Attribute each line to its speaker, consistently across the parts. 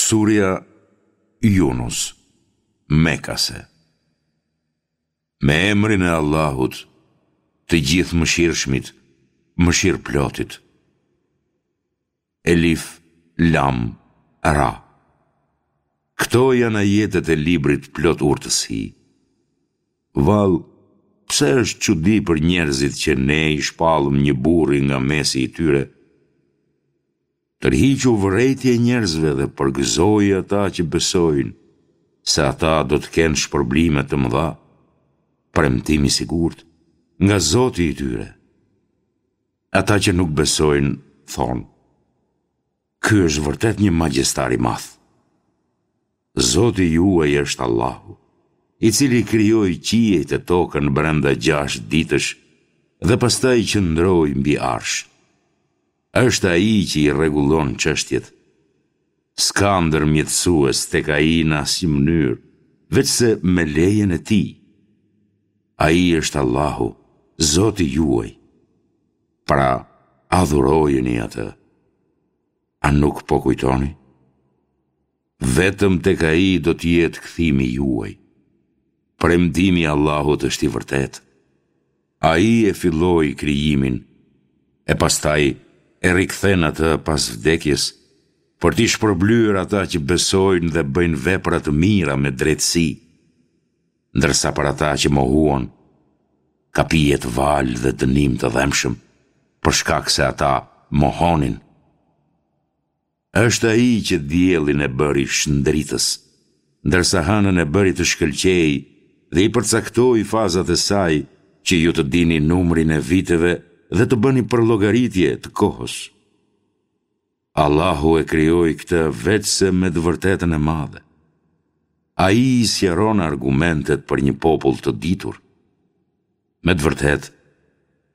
Speaker 1: Surja Junus, Mekase Me emrin e Allahut, të Gjithëmëshirshmit, Mëshirëplotit. Elif, Lam, Ra. Këto janë ajetet e librit plot urtësi. Vallë, pse është çudi për njerëzit që ne i shpallëm një burri nga mesi i tyre, Tërhiqu vërejtje njerëzve dhe përgëzoji ata që besojnë se ata do të kenë shpërblime të mëdha, premtim i sigurt, nga Zoti i tyre. Ata që nuk besojnë, thonë, Ky është vërtet një magjistar i madh. Zoti juaj është Allahu, i cili krijoi qiejt e tokën brenda gjashtë ditësh dhe pastaj qëndroi mbi Arsh. Është Ai që i rregullon çështjet. S'ka ndërmjetësues tek Ai në asnjë mënyrë, veçse me lejen e Tij. Ai është Allahu, Zoti juaj. Pra, adhurojeni Atë. A nuk po kujtoni? Vetëm tek Ai do të jetë kthimi juaj. Premtimi i Allahut është i vërtetë. Ai e filloi krijimin, e pastaj e rikthen atë pas vdekjes, për t'i shpërblyer ata që besojnë dhe bëjnë vepra të mira me drejtësi, ndërsa për ata që mohuan, ka pijet valë dhe dënim të dhembshëm, për shkak se ata mohonin. Është Ai që diellin e bëri shndritës, ndërsa hënën e bëri të shkëlqejë dhe i përcaktoi fazat e saj që ju të dini numrin e viteve dhe të bëni përllogaritje të kohës. Allahu e krijoi këtë veçse me të vërtetën e madhe. Ai i sqaron argumentet për një popull të ditur. Me të vërtetë,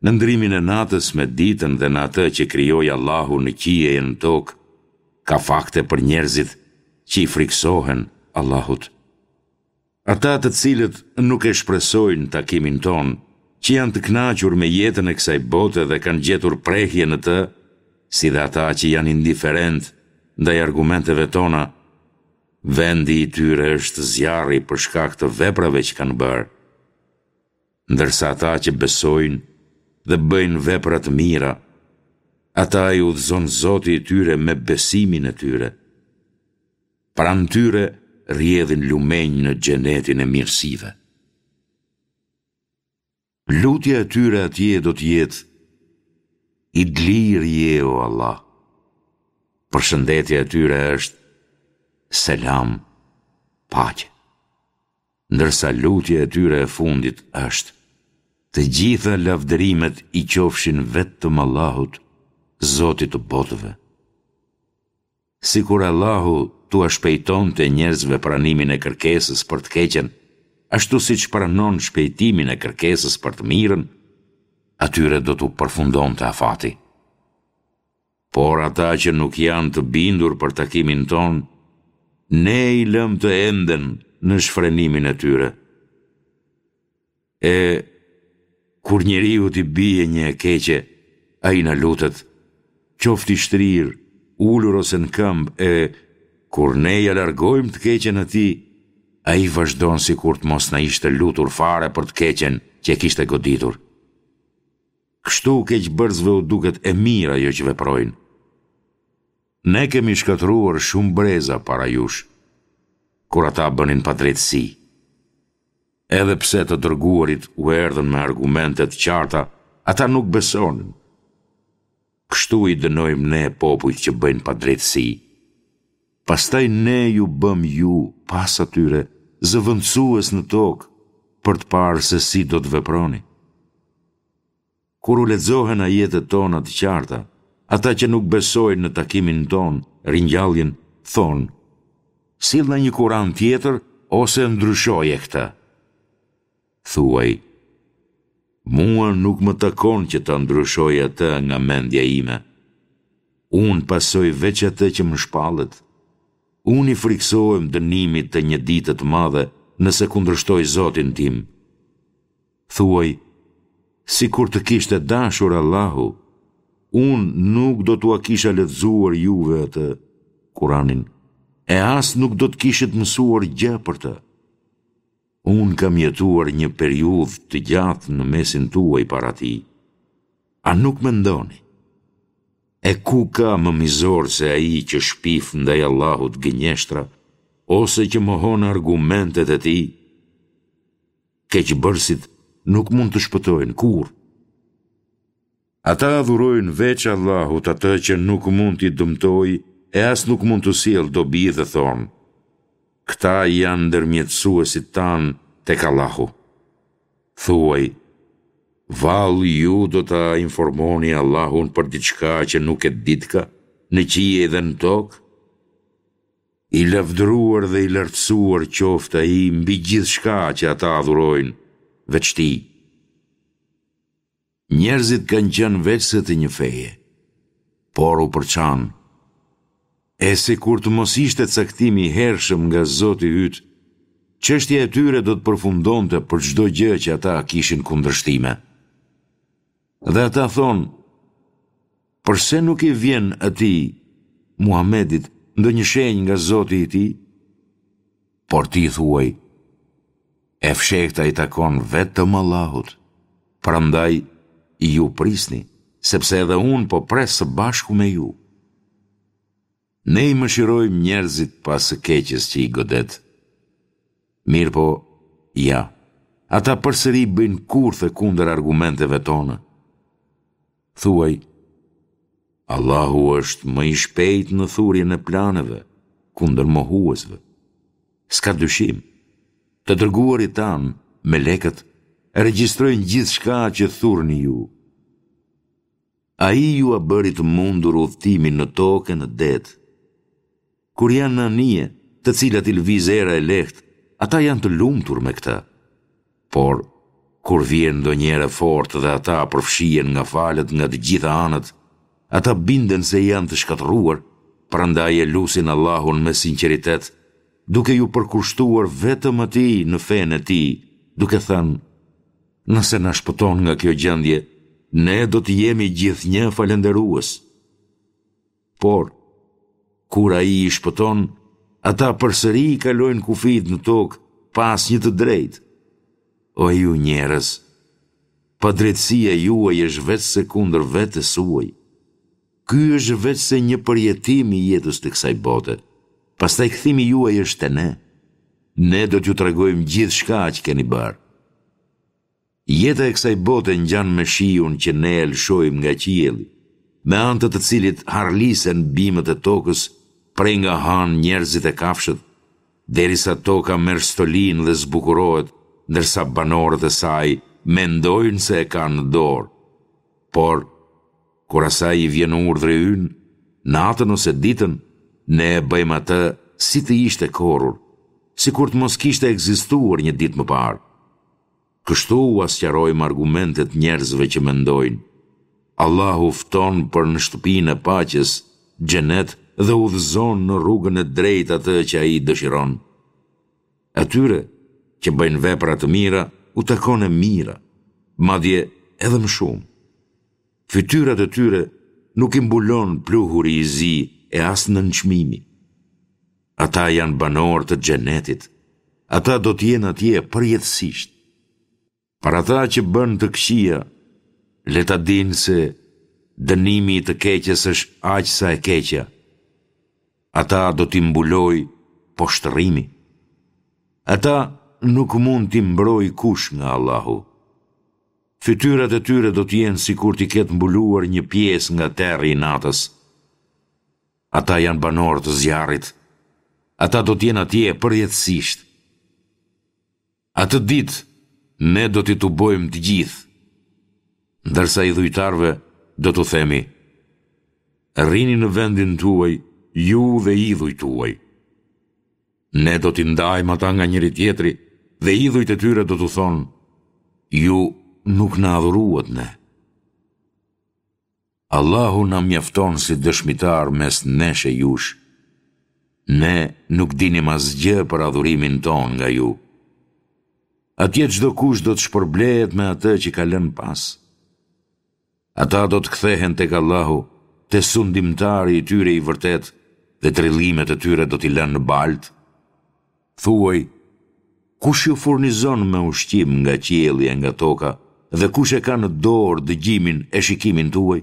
Speaker 1: në ndrimin e natës me ditën dhe në atë që krijoi Allahu në qiej e në tokë, ka fakte për njerëzit që i frikësohen Allahut. Ata të cilët nuk e shpresojnë takimin tonë, që janë të kënaqur me jetën e kësaj bote dhe kanë gjetur prehje në të, si dhe ata që janë indiferentë ndaj argumenteve tona, vendi i tyre është zjarri për shkak të veprave që kanë bërë. Ndërsa ata që besojnë dhe bëjnë vepra të mira, ata i udhëzon Zoti i tyre me besimin e tyre. Pranë tyre rrjedhin lumenj në xhenetin e mirësive. Lutja e tyre atje do të jetë I dlirë je o Allah. Përshëndetja e tyre është Selam, paqe. Ndërsa lutja e tyre e fundit është, Të gjitha lavdërimet i qofshin vetëm Allahut, Zotit të botëve. Sikur Allahu t'ua shpejtonte njerëzve pranimin e kërkesës për të keqen, ashtu siç pranon shpejtimin e kërkesës për të mirën, atyre do t'u përfundonte afati. Por ata që nuk janë të bindur për takimin tonë, ne i lëmë të enden në shfrenimin e tyre. E, kur njeriut i bie një e keqe, ai na lutet, qoftë i shtrirë, ulur ose në këmbë e, kur ne ia largojmë të keqen atij, ai vazhdon sikur të mos na ishte lutur fare për të keqen që e kishte goditur. Kështu keqbërësve u duket e mirë ajo që veprojnë. Ne kemi shkatërruar shumë breza para jush, kur ata bënin padrejtësi. Edhe pse të dërguarit u erdhën me argumente të qarta, ata nuk besonin. Kështu i dënojmë ne popujt që bëjnë padrejtësi. Pastaj ne ju bëmë ju, pas atyre, zëvendësues në tokë, për të parë se si do të veproni. Kur u lexohen ajetet tona të qarta, ata që nuk besojnë në takimin tonë, ringjalljen, thonë, Sillna një Kuran tjetër ose ndryshoje këtë. Thuaj, Mua nuk më takon që ta ndryshoj atë nga mendja ime. Unë pasoj veç atë që më shpallet. Unë i frikësohem dënimit të një dite të madhe nëse kundërshtoj Zotin tim. Thuaj, sikur të kishte dashur Allahu, unë nuk do t'ua kisha lexuar juve atë, Kuranin, e as nuk do të kishit mësuar gjë për të. Unë kam jetuar një periudhë të gjatë në mesin tuaj para tij. A nuk mendoni? E ku ka më mizor se ai që shpif ndaj Allahut gënjeshtra, ose që mohon argumentet e tij? Keqbërësit nuk mund të shpëtojnë kurrë. Ata adhurojnë veç Allahut atë që nuk mund t'i dëmtojë e as nuk mund t'u sjellë dobi dhe thonë, Këta janë ndërmjetësuesit tanë tek Allahu. Thuaj, Vallë ju do ta informoni Allahun për diçka që nuk e ditka në qiej dhe në tokë? I lavdëruar dhe i lartësuar qoftë Ai mbi gjithçka që ata adhurojnë, veç Tij. Njerëzit kanë qenë veçse të një feje, por u përçanë. E sikur të mos ishte caktimi i hershëm nga Zoti yt, çështja e tyre do të përfundonte për çdo gjë që ata kishin kundërshtime. Dhe ata thonë, përse nuk i vjen atij, Muhamedit, ndonjë shenjë nga Zoti i tij? Por ti thuaj, e fshehta i takon vetëm Allahut, prandaj ju prisni, sepse edhe unë po pres së bashku me ju. Ne i mëshirojmë njerëzit pas së keqes që i godet. Mirëpo, ja, ata përsëri bëjnë kurthe kundër argumenteve tona. Thuaj, Allahu është më i shpejtë në thurjen e planeve, kundër mohuesve. S'ka dyshim, të dërguarit tanë, melekët, regjistrojnë gjithçka që thurni ju. Ai jua bëri të mundur udhëtimin në tokë e në det. Kur janë në anije, të cilat i lëviz era e lehtë, ata janë të lumtur me këtë. Por, kur vjen ndonjë erë e fortë dhe ata përfshihen nga valët nga të gjitha anët, ata binden se janë të shkatërruar, prandaj e lusin Allahun me sinqeritet, duke iu përkushtuar vetëm Atij në fenë e Tij, duke thënë, Nëse na shpëton nga kjo gjendje, ne do të jemi gjithnjë falënderues. Por, kur ai i shpëton, ata përsëri i kalojnë kufijtë në tokë pa asnjë të drejtë. O ju njerëz, padrejtësia juaj është veçse kundër vetes suaj. Ky është veçse një përjetim i jetës të kësaj bote. Pastaj kthimi juaj është te ne. Ne do t'ju tregojmë gjithçka që keni bërë. Jeta e kësaj bote ngjan me shiun që ne e lëshojmë nga qielli, me anë të të cilit harlisen bimët e tokës prej nga hanë njerëzit e kafshët, derisa toka merr stolinë dhe zbukurohet, ndërsa banorët e saj mendojnë se e kanë në dorë. Por, kur asaj i vjen urdhri ynë, natën ose ditën, ne e bëjmë atë si të ishte korrur, sikur të mos kishte ekzistuar një ditë më parë. Kështu ua sqarojmë argumentet njerëzve që mendojnë. Allahu fton për në shtëpinë e paqes, xhenet dhe udhëzon në rrugën e drejtë atë që ai dëshiron. Atyre që bëjnë vepra të mira u takon e mira, madje edhe më shumë. Fytyrat e tyre nuk i mbulon pluhuri i zi e as nënçmimi. Ata janë banorë të xhenetit. Ata do të jenë atje përjetësisht. Për ata që bënë të këqija, le ta dinë se dënimi i të keqes është aq sa e keqja. Ata do t'i mbulojë poshtërimi. Ata nuk mund t'i mbrojë kush nga Allahu. Fytyrat e tyre do të jenë sikur t'i ketë mbuluar një pjesë nga terri i natës. Ata janë banorë të zjarrit. Ata do të jenë atje përjetësisht. Atë ditë ne do t'i tubojmë të gjithë, ndërsa idhujtarëve do t'u themi, Rrini në vendin tuaj, ju dhe idhujt tuaj. Ne do t'i ndajmë ata nga njëri-tjetri dhe idhujt e tyre do t'u thonë, ju nuk na adhuruat ne. Allahu na mjafton si dëshmitar mes nesh e jush. Ne nuk dinim asgjë për adhurimin tonë nga ju. Atje çdokush do të shpërblehet me atë që ka lënë pas. Ata do të kthehen tek Allahu, te sundimtari i tyre i vërtetë. dhe trillimet e tyre do t'i lënë në baltë? Thuaj, kush ju furnizon me ushqim nga qielli e nga toka dhe kush e ka në dorë dëgjimin e shikimin tuaj?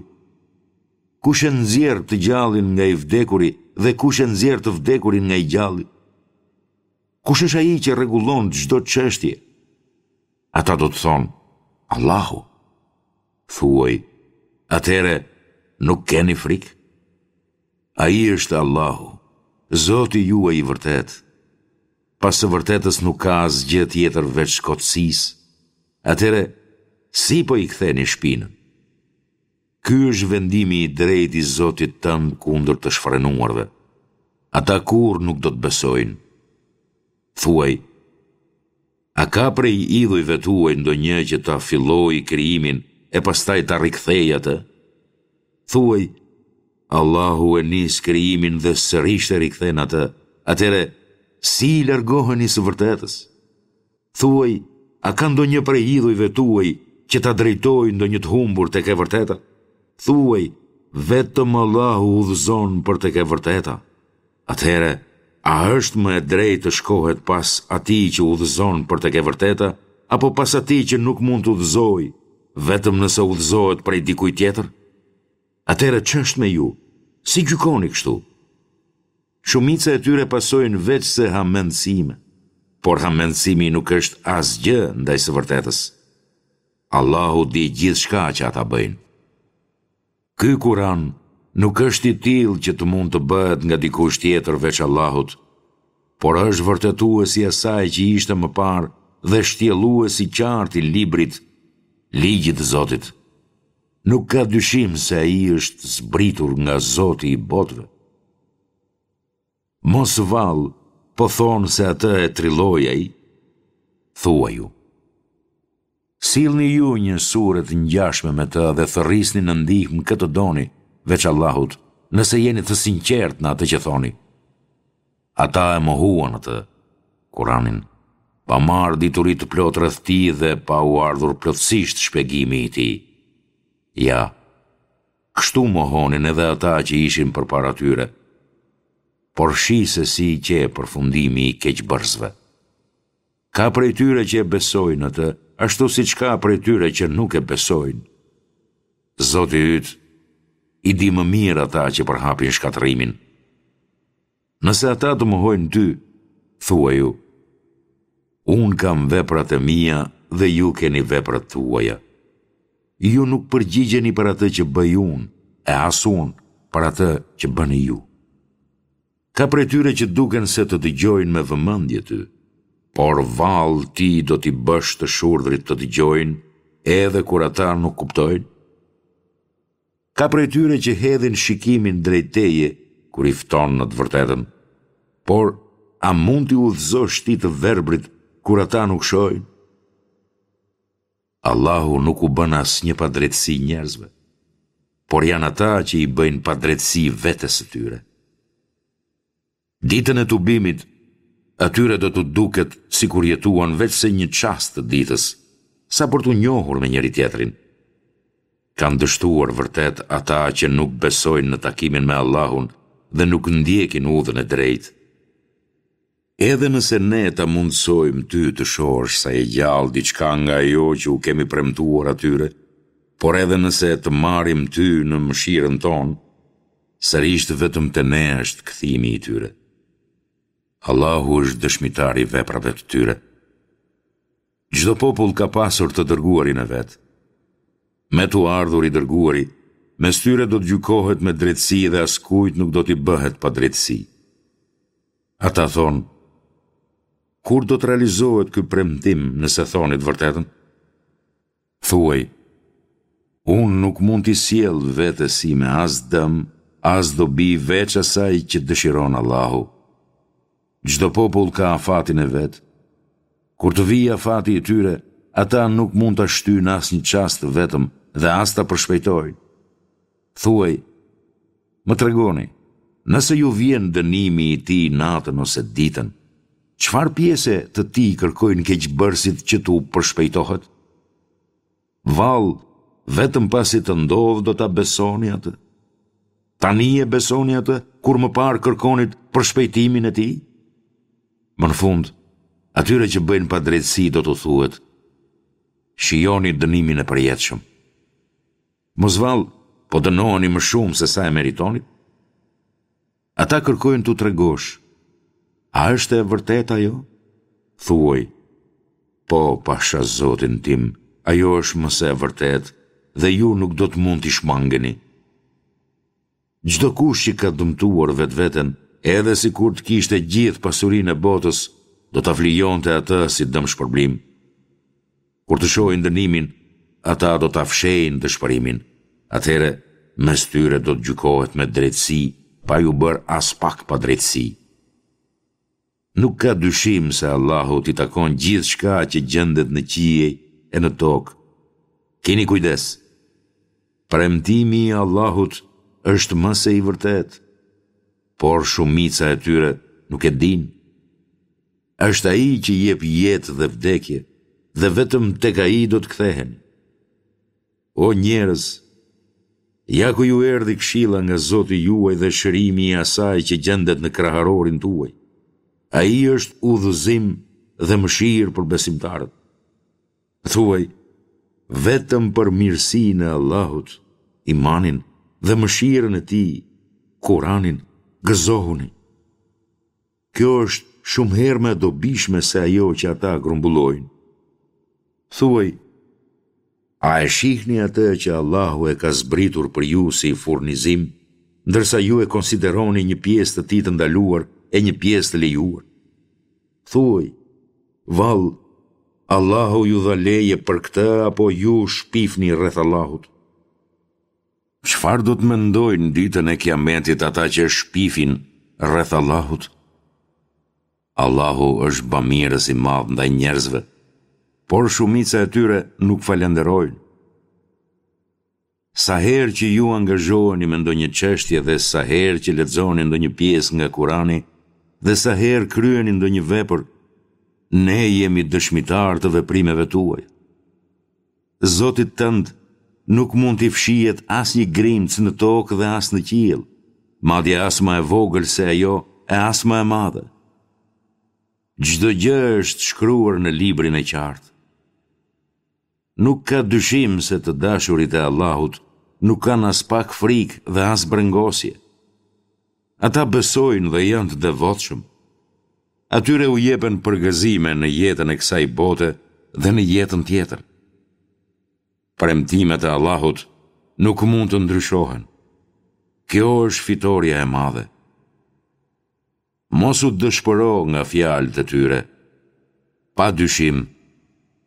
Speaker 1: Kush e nxjerr të gjallin nga i vdekuri dhe kush e nxjerr të vdekurin nga i gjalli? Kush është ai që rregullon çdo çështje? Ata do të thonë, Allahu. Thuaj, atëherë nuk keni frikë? Ai është Allahu, Zoti juaj i vërtetë. Pas së vërtetës nuk ka asgjë tjetër veç kotësisë. Atëherë, si po i ktheni shpinën? Ky është vendimi i drejtë i Zotit tënd kundër të shfrenuarve. Ata kurrë nuk do të besojnë. Thuaj, A ka prej idhujve tuaj ndonjë që ta fillojë krijimin e pastaj ta rikthejë atë? Thuaj, Allahu e nis krijimin dhe sërish e rikthen atë, atëherë si i largoheni së vërtetës? Thuaj, a ka ndonjë prej idhujve tuaj që ta drejtojë ndonjë të humbur tek e vërteta? Thuaj, vetëm Allahu udhëzon për tek e vërteta. Atëherë, a është më e drejtë të shkohet pas atij që udhëzon për tek e vërteta, apo pas atij që nuk mund të udhëzojë, vetëm nëse udhëzohet prej dikujt tjetër? Atëherë ç'është me ju? Si gjykoni kështu? Shumica e tyre pasojnë veçse hamendësime, por hamendësimi nuk është asgjë ndaj së vërtetës. Allahu di gjithçka që ata bëjnë. Ky Kuran nuk është i tillë që të mund të bëhet nga dikush tjetër veç Allahut, por është vërtetues i asaj që ishte më parë dhe shtjellues i qartë i librit, ligjit të Zotit. Nuk ka dyshim se ai është zbritur nga Zoti i botëve. Mos vallë, po thonë se atë e trilloi ai? Thuaju. Sillni ju një sure të ngjashme me të dhe thërrisni në ndihmë kë të doni, veç Allahut, nëse jeni të sinqertë në atë që thoni. Ata e mohuan atë, Kuranin, pa marrë dituri të plotë rreth tij dhe pa u ardhur plotësisht shpjegimi i tij. Ja, kështu mohonin edhe ata që ishin përpara tyre. Por shih se si qe përfundimi i keqbërësve. Ka prej tyre që e besojnë atë, ashtu siç ka prej tyre që nuk e besojnë. Zoti yt i di më mirë ata që përhapin shkatërrimin. Nëse ata të mohojnë ty, thuaju, Unë kam veprat e mia dhe ju keni veprat tuaja. Ju nuk përgjigjeni për atë që bëj unë, e as unë për atë që bëni ju. Ka prej tyre që duken se të dëgjojnë me vëmendje ty, por vallë ti do t'i bësh të shurdhrit të dëgjojnë edhe kur ata nuk kuptojnë? Ka prej tyre që hedhin shikimin drejt teje kur i fton në të vërtetën, por a mund t'i udhëzosh ti të verbrit kur ata nuk shohin? Allahu nuk u bën asnjë padrejtësi njerëzve, por janë ata që i bëjnë padrejtësi vetes së tyre. Ditën e tubimit, atyre do t'u duket sikur jetuan veçse një çast të ditës, sa për t'u njohur me njëri-tjetrin. Kanë dështuar vërtet ata që nuk besojnë në takimin me Allahun dhe nuk ndjekin udhën e drejtë. Edhe nëse Ne ta mundësojmë ty të shohësh sa je gjallë diçka nga ajo që u kemi premtuar atyre, por edhe nëse të marrim ty në mëshirën Tonë, sërish vetëm te Ne është kthimi i tyre. Allahu është dëshmitar i veprave të tyre. Çdo popull ka pasur të dërguarin e vet. Me t'u ardhur i dërguari, mes tyre do të gjykohet me drejtësi dhe askujt nuk do t'i bëhet padrejtësi. Ata thonë, Kur do të realizohet ky premtim nëse thoni të vërtetën? Thuaj, Unë nuk mund t'i sjell vetes sime as dëm, as dobi veç asaj që dëshiron Allahu. Çdo popull ka afatin e vet. Kur të vijë afati i tyre, ata nuk mund ta shtyjnë as një çast të vetëm dhe as ta përshpejtojnë. Thuaj, Më tregoni, nëse ju vjen dënimi i tij natën ose ditën, çfarë pjese të tij kërkojnë keqbërësit që t'u përshpejtohet? Vallë, vetëm pasi të ndodhë do ta besoni atë? Tani e besoni atë kur më parë kërkonit përshpejtimin e tij? Më në fund, atyre që bëjnë padrejtësi do t'u thuhet, shijoni dënimin e përjetshëm. Mos vallë, po dënoheni më shumë se sa e meritonit? Ata kërkojnë t'u tregosh, a është e vërtetë ajo? Thuaj, po, pasha Zotin tim, ajo është më se e vërtetë dhe ju nuk do të mund t'i shmangeni. Çdokush që ka dëmtuar vetveten, edhe sikur të kishte gjithë pasurinë e botës, do ta flijonte atë si dëmshpërblim. Kur të shohin dënimin, ata do ta fshehin dëshpërimin. Atëherë, mes tyre do të gjykohet me drejtësi, pa iu bërë aspak padrejtësi. Nuk ka dyshim se Allahut i takon gjithçka që gjendet në qiej e në tokë. Kini kujdes! Premtimi i Allahut është më se i vërtetë, por shumica e tyre nuk e dinë. Është Ai që jep jetë dhe vdekje, dhe vetëm tek Ai do të ktheheni. O njerëz, ja ku ju erdhi këshilla nga Zoti juaj dhe shërimi i asaj që gjendet në kraharorin tuaj. Ai është udhëzim dhe mëshirë për besimtarët. Thuaj, vetëm për mirësinë e Allahut, imanin dhe mëshirën e Tij, Kuranin, gëzohuni. Kjo është shumë herë më e dobishme se ajo që ata grumbullojnë. Thuaj, a e shihni atë që Allahu e ka zbritur për ju si furnizim, ndërsa ju e konsideroni një pjesë të tij të ndaluar e një pjesë të lejuar? Thuaj, vallë, Allahu ju dha leje për këtë apo ju shpifni rreth Allahut? Çfarë do të mendojnë ditën e Kiametit ata që shpifin rreth Allahut? Allahu është bamirës i madh ndaj njerëzve, por shumica e tyre nuk falënderojnë. Sa herë që ju angazhoheni me ndonjë çështje dhe sa herë që lexoni ndonjë pjesë nga Kurani dhe sa herë kryeni ndonjë vepër, ne jemi dëshmitarë të veprimeve tuaja. Zotit tënd nuk mund t'i fshihet asnjë grimcë në tokë dhe as në qiell, madje as më e vogël se ajo e as më e madhe. Çdo gjë është shkruar në librin e qartë. Nuk ka dyshim se të dashurit e Allahut nuk kanë aspak frikë dhe as brengosje. Ata besojnë dhe janë të devotshëm. Atyre u jepen përgëzime në jetën e kësaj bote dhe në jetën tjetër. Premtimet e Allahut nuk mund të ndryshohen. Kjo është fitorja e madhe. Mos u dëshpëro nga fjalët e tyre. Pa dyshim,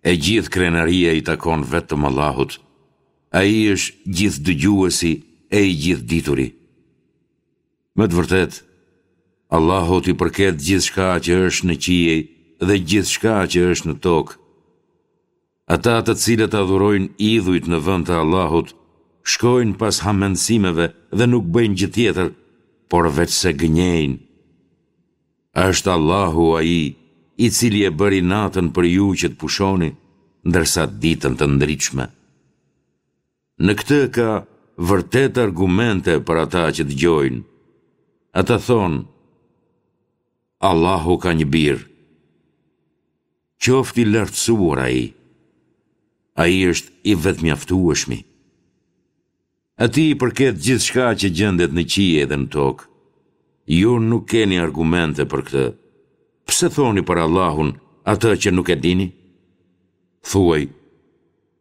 Speaker 1: e gjithë krenaria i takon vetëm Allahut. Ai është gjithëdëgjuesi e i gjithëdituri. Me të vërtetë, Allahut i përket gjithçka që është në qiej dhe gjithçka që është në tokë. Ata të cilët adhurojnë idhujt në vend të Allahut, shkojnë pas hamendësimeve dhe nuk bëjnë gjë tjetër, por veçse gënjejnë. Është Allahu ai i cili e bëri natën për ju që të pushoni, ndërsa ditën të ndritshme. Në këtë ka vërtet argumente për ata që dëgjojnë. Ata thonë, Allahu ka një bir. Qoftë i lartësuar ai. Ai është i vetëmjaftueshmi. Atij i përket gjithçka që gjendet në qiej dhe në tokë. Ju nuk keni argumente për këtë. Pse thoni për Allahun atë që nuk e dini? Thuaj,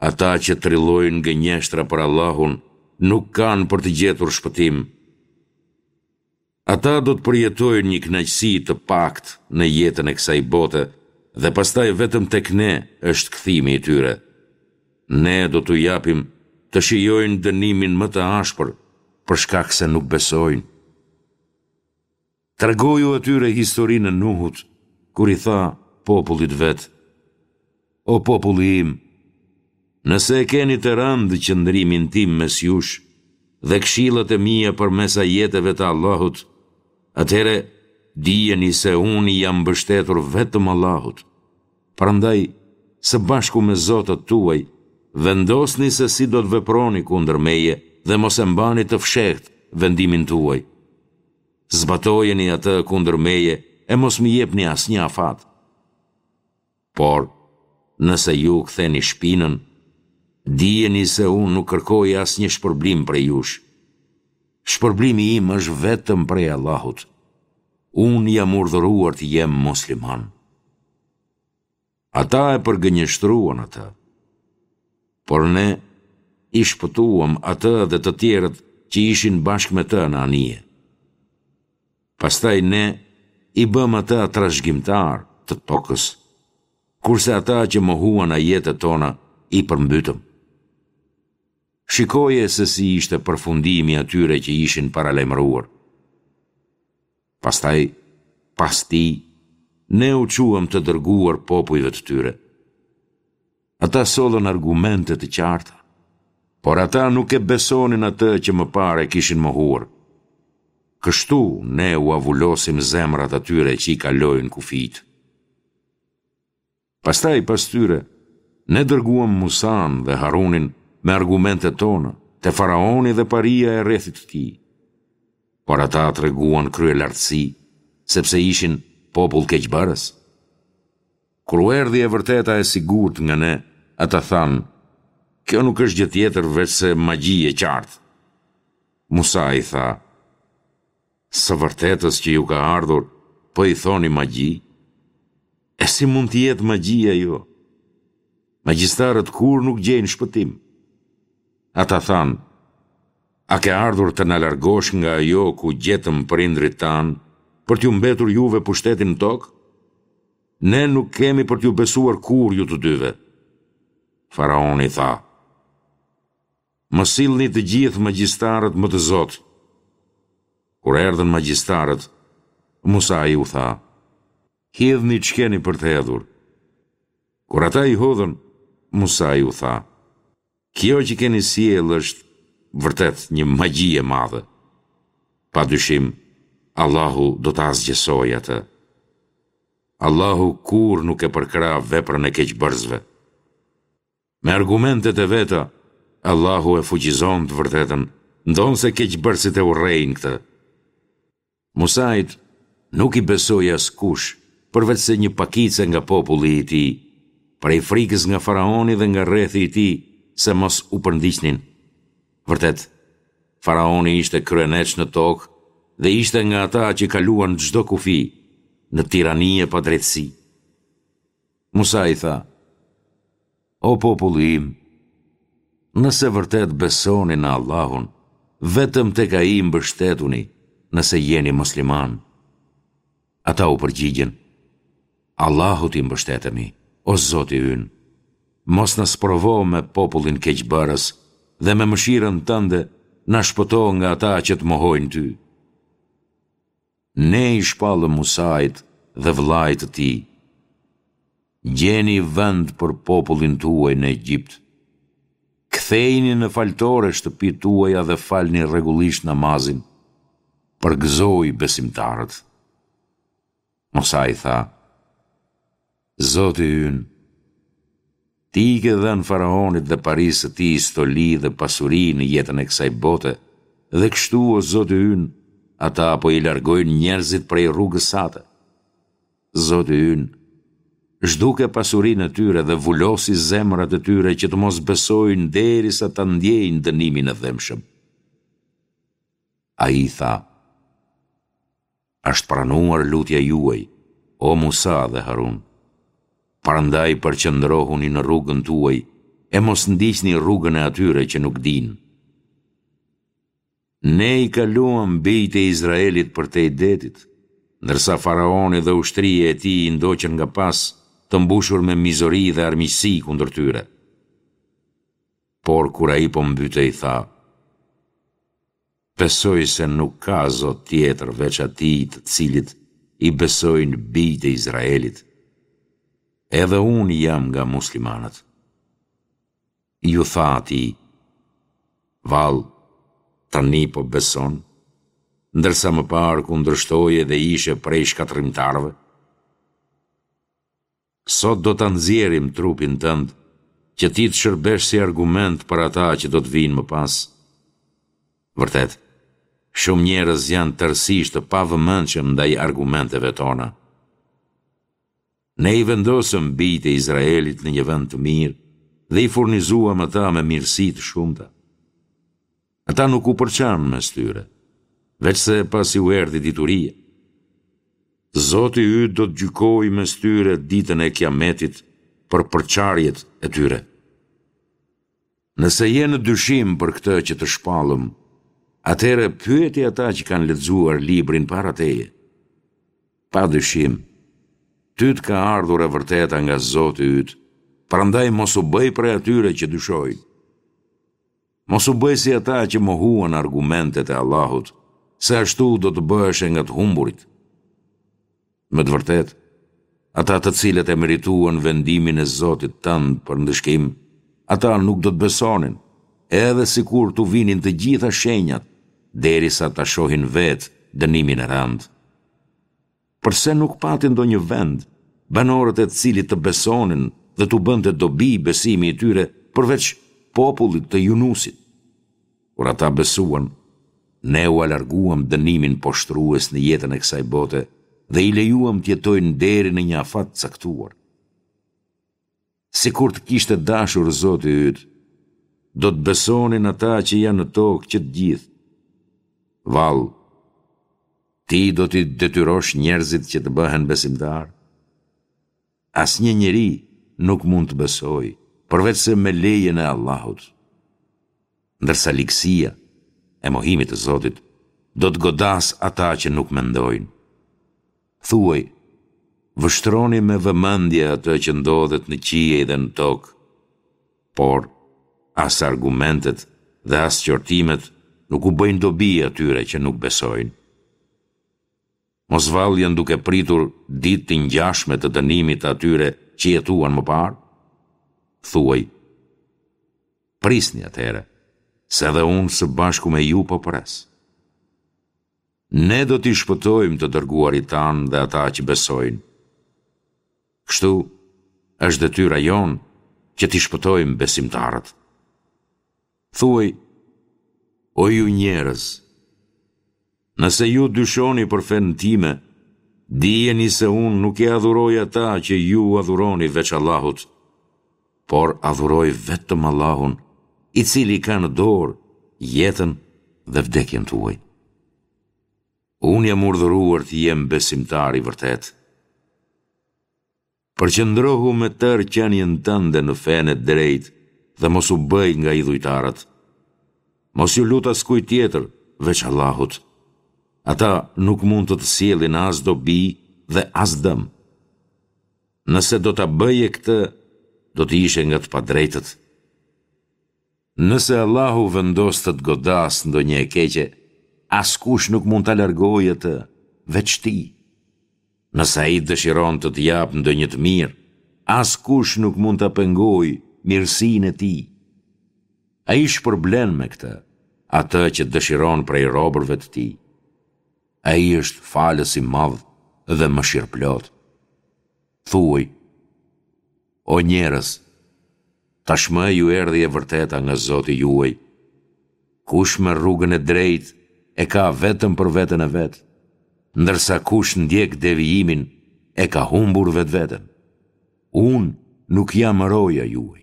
Speaker 1: ata që trillojnë gënjeshtra për Allahun nuk kanë për të gjetur shpëtim. Ata do të përjetojnë një kënaqësi të paktë në jetën e kësaj bote dhe pastaj vetëm tek ne është kthimi i tyre. Ne do t'u japim të shijojnë dënimin më të ashpër për shkak se nuk besojnë. Tregoju atyre historinë e Nuhut, kur i tha popullit vet, O populli im, nëse e keni të rëndë qëndrimin tim mes jush dhe këshillat e mia përmes ajeteve të Allahut, atëherë dijeni se unë i jam mbështetur vetëm Allahut. Prandaj, së bashku me zotat tuaj, vendosni se si do të veproni kundër meje dhe mos e mbani të fshehtë. vendimin tuaj. Zbatojeni atë kundër meje e mos më jepni asnjë afat. Por, nëse ju ktheni shpinën, dijeni se unë nuk kërkoj asnjë shpërblim prej jush. Shpërblimi im është vetëm prej Allahut. Unë jam urdhëruar të jem musliman. Ata e përgënjeshtruan atë. Por ne i shpëtuam atë dhe të tjerët që ishin bashkë me të në anije. Pastaj ne i bëmë ata trashëgimtarë të tokës, kurse ata që mohuan ajetet tona i përmbytëm. Shikoje se si ishte përfundimi i atyre që ishin paralajmëruar. Pastaj, pas tij, ne u çuam të dërguar popujve të tyre. Ata sollën argumente të qarta, por ata nuk e besonin atë që më parë e kishin mohuar. Kështu ne ua vulosim zemrat atyre që i kalojnë kufijtë. Pastaj pas tyre, ne dërguam Musanë dhe Harunin me argumentet tona, te faraoni dhe paria e rrethit të tij. Por ata treguan kryelartësi, sepse ishin popull keqbërës. Kur u erdhi e vërteta e sigurt nga ne, ata thanë, kjo nuk është gjë tjetër veçse magji e qartë. Musai tha, Së vërtetës që ju ka ardhur, po i thoni magji? E si mund të jetë magji ajo? Magjistarët kurrë nuk gjejnë shpëtim. Ata thanë, a ke ardhur të na largosh nga ajo ku gjetëm prindërit tanë, për t'ju mbetur juve pushteti në tokë? Ne nuk kemi për t'ju besuar kurrë ju të dyve. Faraoni tha, Më sillni të gjithë magjistarët më të zotë. Kur erdhën magjistarët, Musai u tha, Hidhni ç'keni për të hedhur. Kur ata i hodhën, Musai u tha, Kjo që keni sjellë është vërtet një magji e madhe. Pa dyshim, Allahu do ta asgjësojë atë. Allahu kurrë nuk e përkrah veprën e keqbërësve. Me argumentet e veta, Allahu e fuqizon të vërtetën, ndonëse keqbërësit e urrejnë këtë. Musait nuk i besoi askush, përveçse një pakice nga populli i tij, prej frikës nga faraoni dhe nga rrethi i tij se mos u përndiqnin. Vërtet, faraoni ishte kryeneç në tokë dhe ishte nga ata që kaluan çdo kufi, në tirani e padrejtësi. Musai tha, O populli im, nëse vërtet besoni në Allahun, vetëm tek Ai mbështetuni, nëse jeni muslimanë. Ata u përgjigjën, Allahut i mbështetemi, o Zoti ynë, mos na sprovo me popullin keqbërës dhe me mëshirën tënde na shpëto nga ata që të mohojnë ty. Ne i shpallëm Musait dhe vëllait të tij, Gjeni vend për popullin tuaj në Egjipt. Kthejini në faltore shtëpitë tuaja dhe falni rregullisht namazin. Përgëzoji besimtarët. Musai tha, Zoti ynë, Ti i ke dhënë faraonit dhe parisë së tij stoli dhe pasuri në jetën e kësaj bote, dhe kështu, o Zoti ynë, ata po i largojnë njerëzit prej rrugës sate. Zoti ynë, zhduke pasurinë e tyre dhe vulosi zemrat e tyre që të mos besojnë derisa ta ndjejnë dënimin e dhembshëm. Ai tha, Është pranuar lutja juaj, o Musa dhe Harun. Prandaj përqendrohuni në rrugën tuaj e mos ndiqni rrugën e atyre që nuk dinë. Ne i kaluam bijtë e Izraelit përtej detit, ndërsa faraoni dhe ushtria e tij i ndoqën nga pas, të mbushur me mizori dhe armiqësi kundër tyre. Por kur ai po mbytej tha, Besoj se nuk ka Zot tjetër veç Atij të cilit i besojnë bijtë e Izraelit. Edhe unë jam nga muslimanët. Iu tha atij, Vallë, tani po beson, ndërsa më parë kundërshtoje dhe ishe prej shkatërrimtarëve? Sot do ta nxjerrim trupin tënd, që ti të shërbesh si argument për ata që do të vijnë më pas. Vërtet, Shumë njerëz janë tërësisht të pavëmendshëm ndaj argumenteve tona. Ne i vendosëm bijtë e Izraelit në një vend të mirë dhe i furnizuam ata me mirësi të shumta. Ata nuk u përçanë mes tyre, veçse pasi u erdhi dituria. Zoti yt do të gjykojë mes tyre ditën e Kiametit për përçarjet e tyre. Nëse je në dyshim për këtë që të shpallëm, atëherë pyeti ata që kanë lexuar librin para teje. Pa dyshim, ty të ka ardhur e vërteta nga Zoti yt, prandaj mos u bëj prej atyre që dyshojnë. Mos u bëj si ata që mohuan argumentet e Allahut, se ashtu do të bëheshe nga të humburit. Me të vërtetë, ata të cilët e merituan vendimin e Zotit tënd për ndëshkim, ata nuk do të besonin, edhe sikur t'u vinin të gjitha shenjat, derisa ta shohin vetë dënimin e rëndë. Përse nuk pati ndonjë vend, banorët e të cilit të besonin dhe t'u bënte dobi besimi i tyre përveç popullit të Junusit? Kur ata besuan, ne ua larguam dënimin poshtërues në jetën e kësaj bote dhe i lejuam të jetojnë deri në një afat të caktuar. Sikur të kishte dashur Zoti yt, do të besonin ata që janë në tokë që të gjithë. Vallë, ti do t'i detyrosh njerëzit që të bëhen besimtarë? Asnjë njeri nuk mund të besojë, përveçse me lejen e Allahut. Ndërsa ligësia e mohimit të Zotit do të godasë ata që nuk mendojnë. Thuaj, vështroni me vëmendje atë që ndodhet në qiej dhe në tokë, por as argumentet dhe as qortimet nuk u bëjnë dobi atyre që nuk besojnë. Mos vallë janë duke pritur ditë të ngjashme të dënimit të atyre që jetuan më parë? Thuaj, prisni atëherë, se edhe unë së bashku me ju po pres. Ne do t'i shpëtojmë të dërguarit tanë dhe ata që besojnë. Kështu, është detyra jonë që t'i shpëtojmë besimtarët. Thuaj, o ju njerëz, nëse ju dyshoni për fenë time, dijeni se unë nuk i adhuroj ata që ju adhuroni veç Allahut, por adhuroj vetëm Allahun, i cili ka në dorë jetën dhe vdekjen tuaj. Unë jam urdhëruar të jem besimtar i vërtetë. Përqendrohu me tërë qenien tënde në fenë e drejtë dhe mos u bëj nga idhujtarët. Mos iu lut askujt tjetër, veç Allahut. Ata nuk mund të të sjellin as dobi dhe as dëm. Nëse do ta bëje këtë, do të ishe nga të padrejtët. Nëse Allahu vendos të të godasë ndonjë e keqe, askush nuk mund ta largojë atë, veç Tij. Nëse Ai dëshiron të të japë ndonjë të mirë, askush nuk mund ta pengojë mirësinë e Tij. Ai shpërblen me këtë, atë që dëshiron prej robërve të Tij. Ai është Falës i Madh dhe Mëshirëplotë. Thuaj, O njerëz, tashmë ju erdhi e vërteta nga Zoti juaj. Kush merr rrugën e drejtë e ka vetëm për veten e vet, ndërsa kush ndjek devijimin e ka humbur vetveten. Unë nuk jam roja juaj.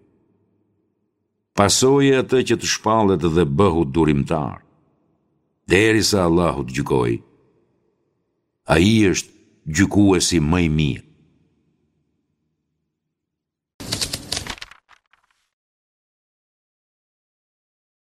Speaker 1: Pasoje atë që të shpallet dhe bëhu durimtar, derisa Allahu të gjykojë. Ai është gjykuesi më i mirë.